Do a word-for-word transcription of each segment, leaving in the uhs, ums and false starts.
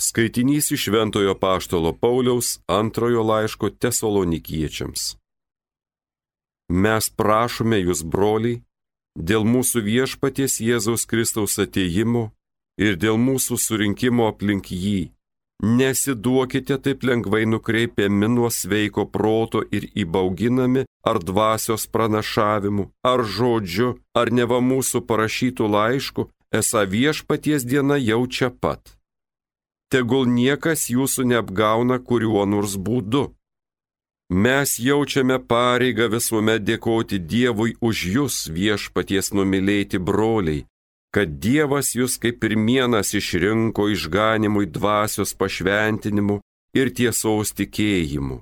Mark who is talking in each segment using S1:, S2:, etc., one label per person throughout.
S1: Skaitinys iš Šventojo Apaštalo Pauliaus antrojo laiško Tesalonikiečiams. Mes prašome jūs, broliai, dėl mūsų viešpaties Jėzaus Kristaus atėjimo ir dėl mūsų surinkimo aplink jį, nesiduokite taip lengvai nukreipiami nuo sveiko proto ir įbauginami ar dvasios pranašavimu, ar žodžiu, ar neva mūsų parašytų laišku, esą viešpaties diena jau čia pat. Tegul niekas jūsų neapgauna kuriuo nors būdu. Mes jaučiame pareigą visuomet dėkoti Dievui už jūs, viešpaties numylėti broliai, kad Dievas jūs kaip pirmienas išrinko išganimui dvasios pašventinimu ir tiesos tikėjimu.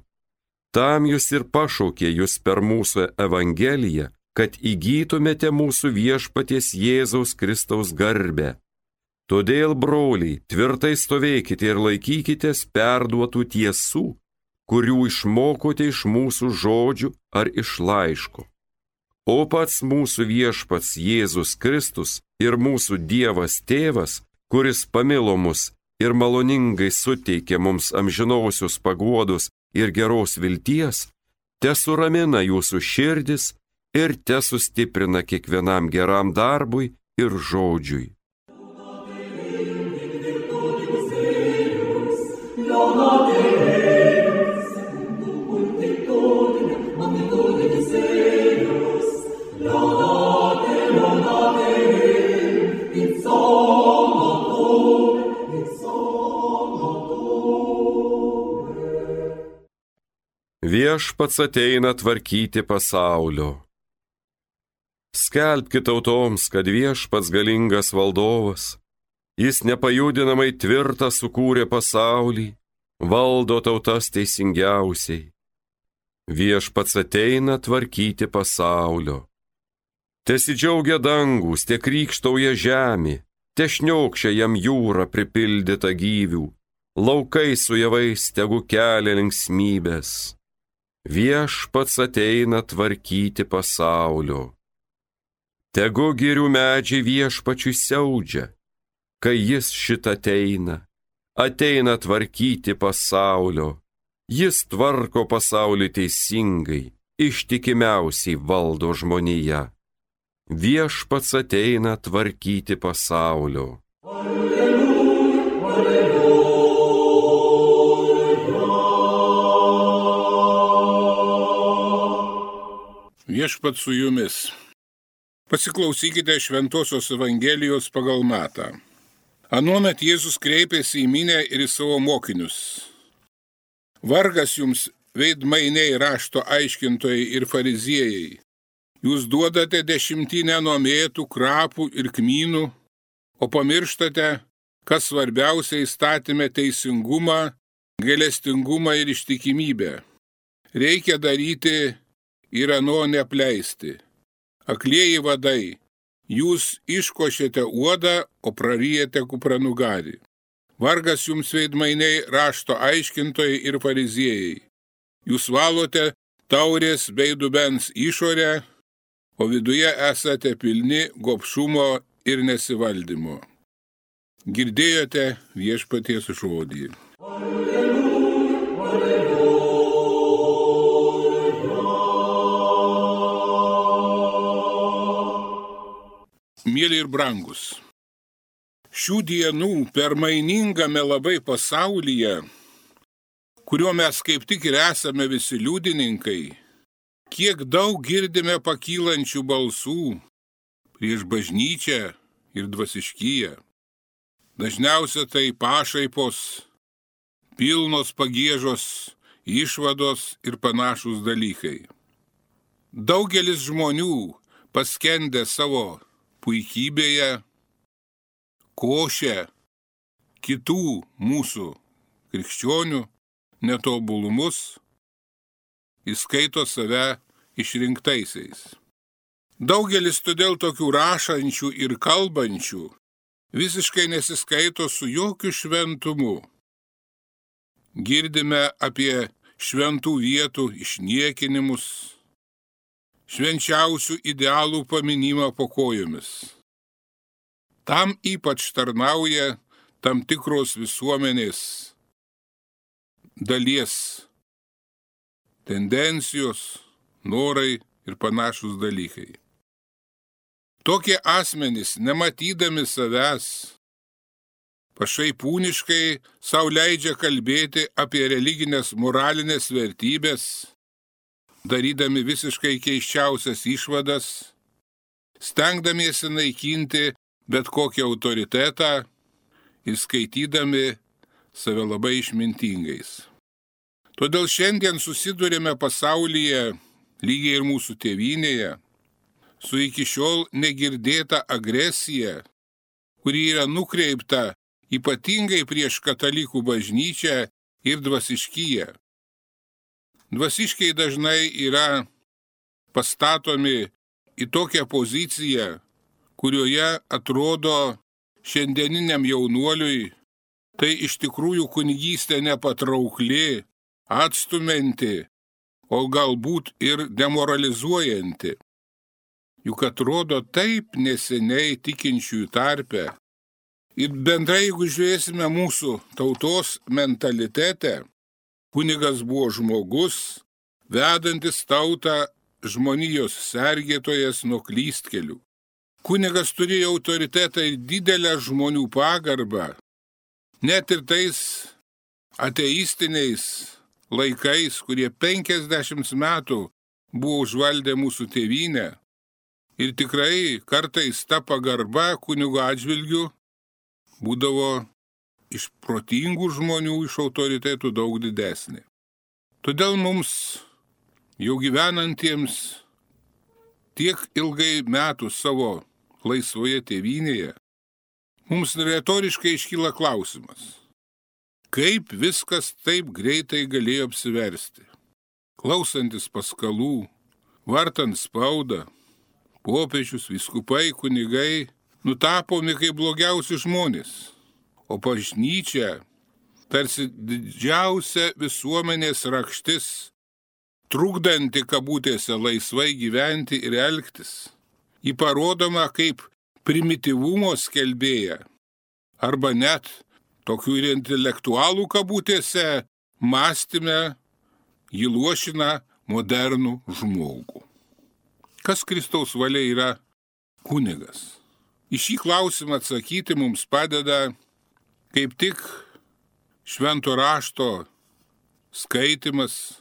S1: Tam jūs ir pašaukė jūs per mūsų evangeliją, kad įgytumėte mūsų viešpaties Jėzaus Kristaus garbę. Todėl, broliai, tvirtai stovėkite ir laikykitės perduotų tiesų, kurių išmokote iš mūsų žodžių ar iš laiško. O pats mūsų viešpats Jėzus Kristus ir mūsų Dievas Tėvas, kuris pamilo mus ir maloningai suteikė mums amžinosios paguodos ir geros vilties, tesuramina jūsų širdis ir tesustiprina kiekvienam geram darbui ir žodžiui. Viešpats ateina tvarkyti pasaulio. Skelbkite tautoms, kad viešpats galingas valdovas, jis nepajudinamai tvirtą sukūrė pasaulį, valdo tautas teisingiausiai. Viešpats ateina tvarkyti pasaulio. Tesidžiaugia dangus, te krykštauja žemė, te šniokščia jam jūra pripildyta gyvių, laukai su javais tegu kelia linksmybės. Viešpats ateina tvarkyti pasaulio. Tegu girių medžiai viešpačiui siaudžia, kai jis šitą ateina, ateina tvarkyti pasaulio. Jis tvarko pasaulį teisingai, ištikimiausiai valdo žmoniją. Viešpats ateina tvarkyti pasaulio. Alleluja, alleluja.
S2: Viešpats su jumis. Pasiklausykite Šventosios Evangelijos pagal Matą. Anuomet Jėzus kreipėsi į minią ir į savo mokinius. Vargas jums, veidmainiai, rašto aiškintojai ir fariziejai. Jūs duodate dešimtinę nuo mėtų, krapų ir kmynų, o pamirštate, kas svarbiausia įstatyme teisingumą, gailestingumą ir ištikimybę. Reikia daryti ir ano neapleisti. Aklieji vadai, jūs iškošėte uodą, o praryjate kupranugarį. Vargas jums, veidmainiai, rašto aiškintojai ir fariziejai. Jūs valote taurės bei dubens išorę, o viduje esate pilni gobšumo ir nesivaldymo. Girdėjote viešpaties žodį. Alleluja, alleluja. Mėly ir brangus, šių dienų permainingame labai pasaulyje, kuriuo mes kaip tik ir esame visi liudininkai, kiek daug girdime pakylančių balsų prieš bažnyčią ir dvasiškiją. Dažniausia tai pašaipos, pilnos pagiežos, išvados ir panašūs dalykai. Daugelis žmonių paskendę savo puikybėje, košia kitų mūsų krikščionių netobulumus, įskaito save išrinktaisiais. Daugelis todėl tokių rašančių ir kalbančių visiškai nesiskaito su jokiu šventumu. Girdime apie šventų vietų išniekinimus, švenčiausių idealų paminimą po kojomis. Tam ypač tarnauja tam tikros visuomenės dalies tendencijos, norai ir panašus dalykai. Tokie asmenys, nematydami savęs, pašaipūniškai sau leidžia kalbėti apie religinės moralinės vertybės, darydami visiškai keiščiausias išvadas, stengdamiesi naikinti bet kokį autoritetą ir skaitydami save labai išmintingais. Todėl šiandien susidurėme pasaulyje, lygiai ir mūsų tėvynėje, su iki šiol negirdėta agresija, kuri yra nukreipta ypatingai prieš katalikų bažnyčią ir dvasiškiją. Dvasiškiai dažnai yra pastatomi į tokią poziciją, kurioje atrodo šiandieniniam jaunuoliui tai iš tikrųjų kunigystė nepatraukli, atstumianti, o galbūt ir demoralizuojanti. Juk atrodo taip neseniai tikinčiųjų tarpe. Ir bendrai, jeigu žiūrėsime mūsų tautos mentalitete, kunigas buvo žmogus, vedantis tautą žmonijos sergėtojas nuo klystkelių. Kunigas turėjo autoritetą ir didelę žmonių pagarbą, net ir tais ateistiniais laikais, kurie penkiasdešimt metų buvo užvaldę mūsų tėvynę. Ir tikrai kartais ta pagarba kunigo atžvilgiu būdavo iš protingų žmonių, iš autoritetų daug didesnė. Todėl mums, jau gyvenantiems tiek ilgai metų savo laisvoje tėvynėje, mums retoriškai iškyla klausimas, kaip viskas taip greitai galėjo apsiversti. Klausantis paskalų, vartant spaudą, popiežius, vyskupai, kunigai nutapomi kaip blogiausi žmonės, o bažnyčia tarsi didžiausia visuomenės rakštis, trukdanti kabutėse laisvai gyventi ir elgtis. Ji parodoma kaip primityvumo skelbėja, arba net tokių ir intelektualų kabutėse mąstyme ji luošina modernų žmogų. Kas Kristaus valia yra kunigas? Į šį klausimą atsakyti mums padeda kaip tik švento rašto skaitimas,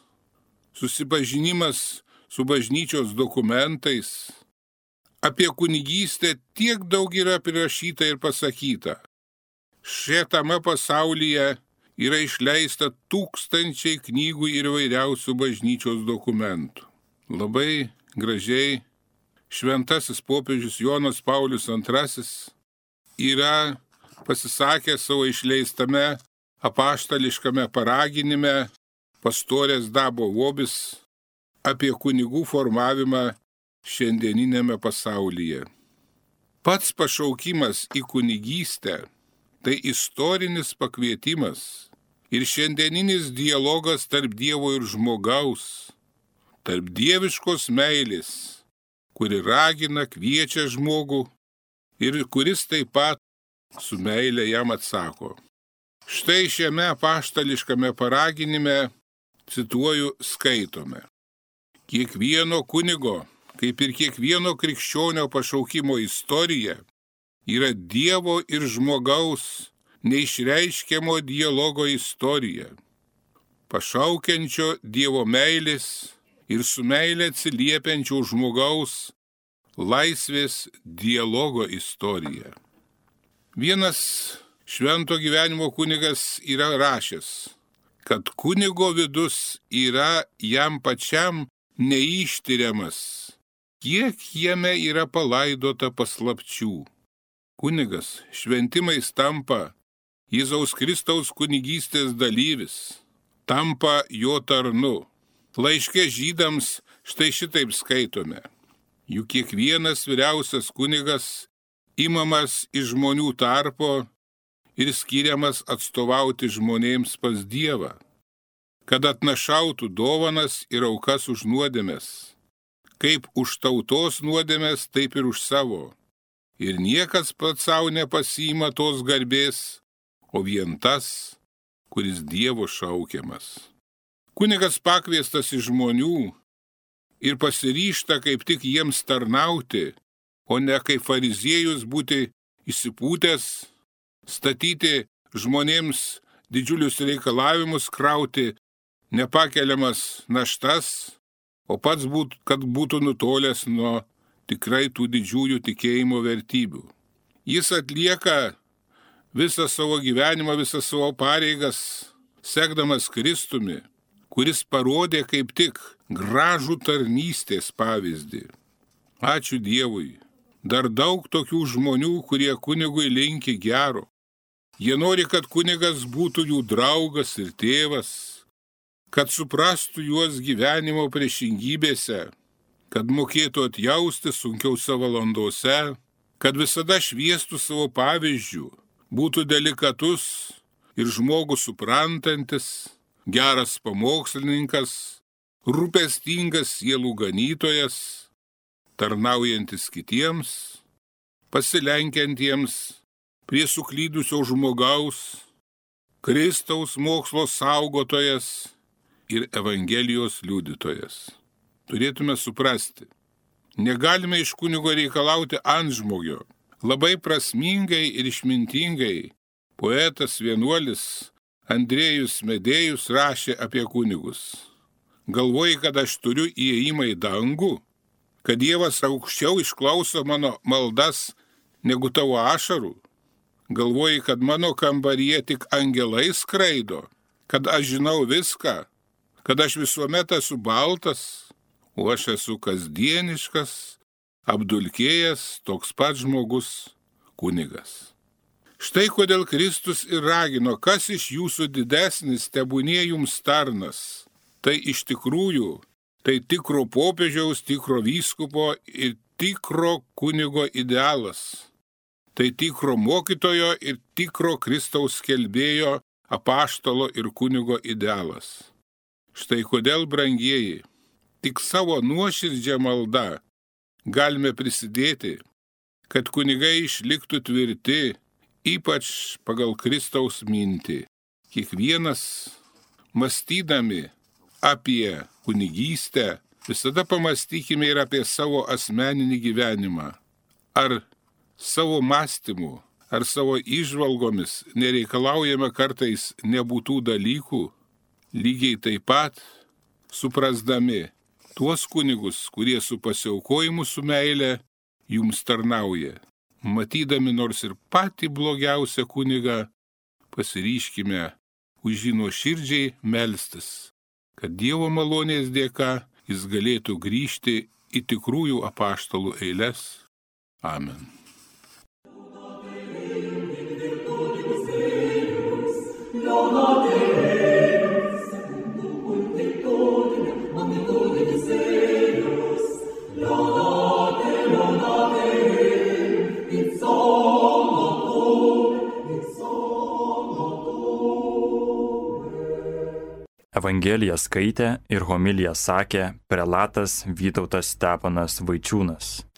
S2: susipažinimas su bažnyčios dokumentais. Apie kunigystę tiek daug yra prirašyta ir pasakyta. Šiame pasaulyje yra išleista tūkstančiai knygų ir įvairiausių bažnyčios dokumentų. Labai gražiai šventasis popiežius Jonas Paulius antrasis yra pasisakęs savo išleistame apaštališkame paraginime Pastorės Dabo Vobis apie kunigų formavimą šiandieninėme pasaulyje. Pats pašaukimas į kunigystę tai istorinis pakvietimas ir šiandieninis dialogas tarp Dievo ir žmogaus, tarp dieviškos meilės, kuri ragina, kviečia žmogų ir kuris taip pat su meile jam atsako. Štai šiame apaštališkame paraginime, cituoju, skaitome. Kiekvieno kunigo, kaip ir kiekvieno krikščionio pašaukimo istorija, yra Dievo ir žmogaus neišreiškiamo dialogo istorija, pašaukiančio Dievo meilės ir su meilė atsiliepiančio žmogaus laisvės dialogo istorija. Vienas švento gyvenimo kunigas yra rašęs, kad kunigo vidus yra jam pačiam neištiriamas, kiek jame yra palaidota paslapčių. Kunigas šventimais tampa Jėzaus Kristaus kunigystės dalyvis, tampa jo tarnu. Laiške žydams štai šitaip skaitome. Juk kiekvienas vyriausias kunigas imamas iš žmonių tarpo ir skiriamas atstovauti žmonėms pas Dievą, kad atnašautų dovanas ir aukas už nuodėmes, kaip už tautos nuodėmes, taip ir už savo. Ir niekas pats savo nepasiima tos garbės, o vien tas, kuris Dievo šaukiamas. Kunigas pakviestas iš žmonių ir pasiryžta kaip tik jiems tarnauti, o ne kaip fariziejus būti įsipūtęs, statyti žmonėms didžiulius reikalavimus, krauti nepakeliamas naštas, o pats būt, kad būtų nutolęs nuo tikrai tų didžiųjų tikėjimo vertybių. Jis atlieka visą savo gyvenimą, visą savo pareigas, sekdamas Kristumi, kuris parodė kaip tik gražų tarnystės pavyzdį. Ačiū Dievui. Dar daug tokių žmonių, kurie kunigui linki gero. Jie nori, kad kunigas būtų jų draugas ir tėvas, kad suprastų juos gyvenimo priešingybėse, kad mokėtų atjausti sunkiausiose valandose, kad visada šviestų savo pavyzdžių, būtų delikatus ir žmogų suprantantis, geras pamokslininkas, rūpestingas sielų ganytojas, tarnaujantis kitiems, pasilenkiantiems prie suklydusio žmogaus, Kristaus mokslo saugotojas ir Evangelijos liudytojas. Turėtume suprasti, negalime iš kunigo reikalauti antžmogio. Labai prasmingai ir išmintingai poetas vienuolis Andrėjus Medėjus rašė apie kunigus. Galvoji, kad aš turiu įėjimą į dangų, kad Dievas aukščiau išklauso mano maldas negu tavo ašarų. Galvoji, kad mano kambaryje tik angelai skraido, kad aš žinau viską, kad aš visuomet esu baltas, o aš esu kasdieniškas, apdulkėjęs, toks pat žmogus, kunigas. Štai kodėl Kristus ir ragino, kas iš jūsų didesnis, tebūnie jums tarnas. Tai iš tikrųjų, tai tikro popiežiaus, tikro vyskupo ir tikro kunigo idealas. Tai tikro mokytojo ir tikro Kristaus skelbėjo, apaštalo ir kunigo idealas. Štai kodėl, brangieji, tik savo nuoširdžią maldą galime prisidėti, kad kunigai išliktų tvirti, ypač pagal Kristaus mintį. Kiekvienas, mąstydami apie kunigystę, visada pamastykime ir apie savo asmeninį gyvenimą. Ar savo mąstymu, ar savo įžvalgomis nereikalaujame kartais nebūtų dalykų, lygiai taip pat suprasdami tuos kunigus, kurie su pasiaukojimu su meile jums tarnauja. Matydami nors ir patį blogiausią kunigą, pasiryškime už jį nuoširdžiai melstis, kad Dievo malonės dėka jis galėtų grįžti į tikrųjų apaštalų eiles. Amen.
S3: Evangeliją skaitė ir homiliją sakė prelatas Vytautas Steponas Vaičiūnas.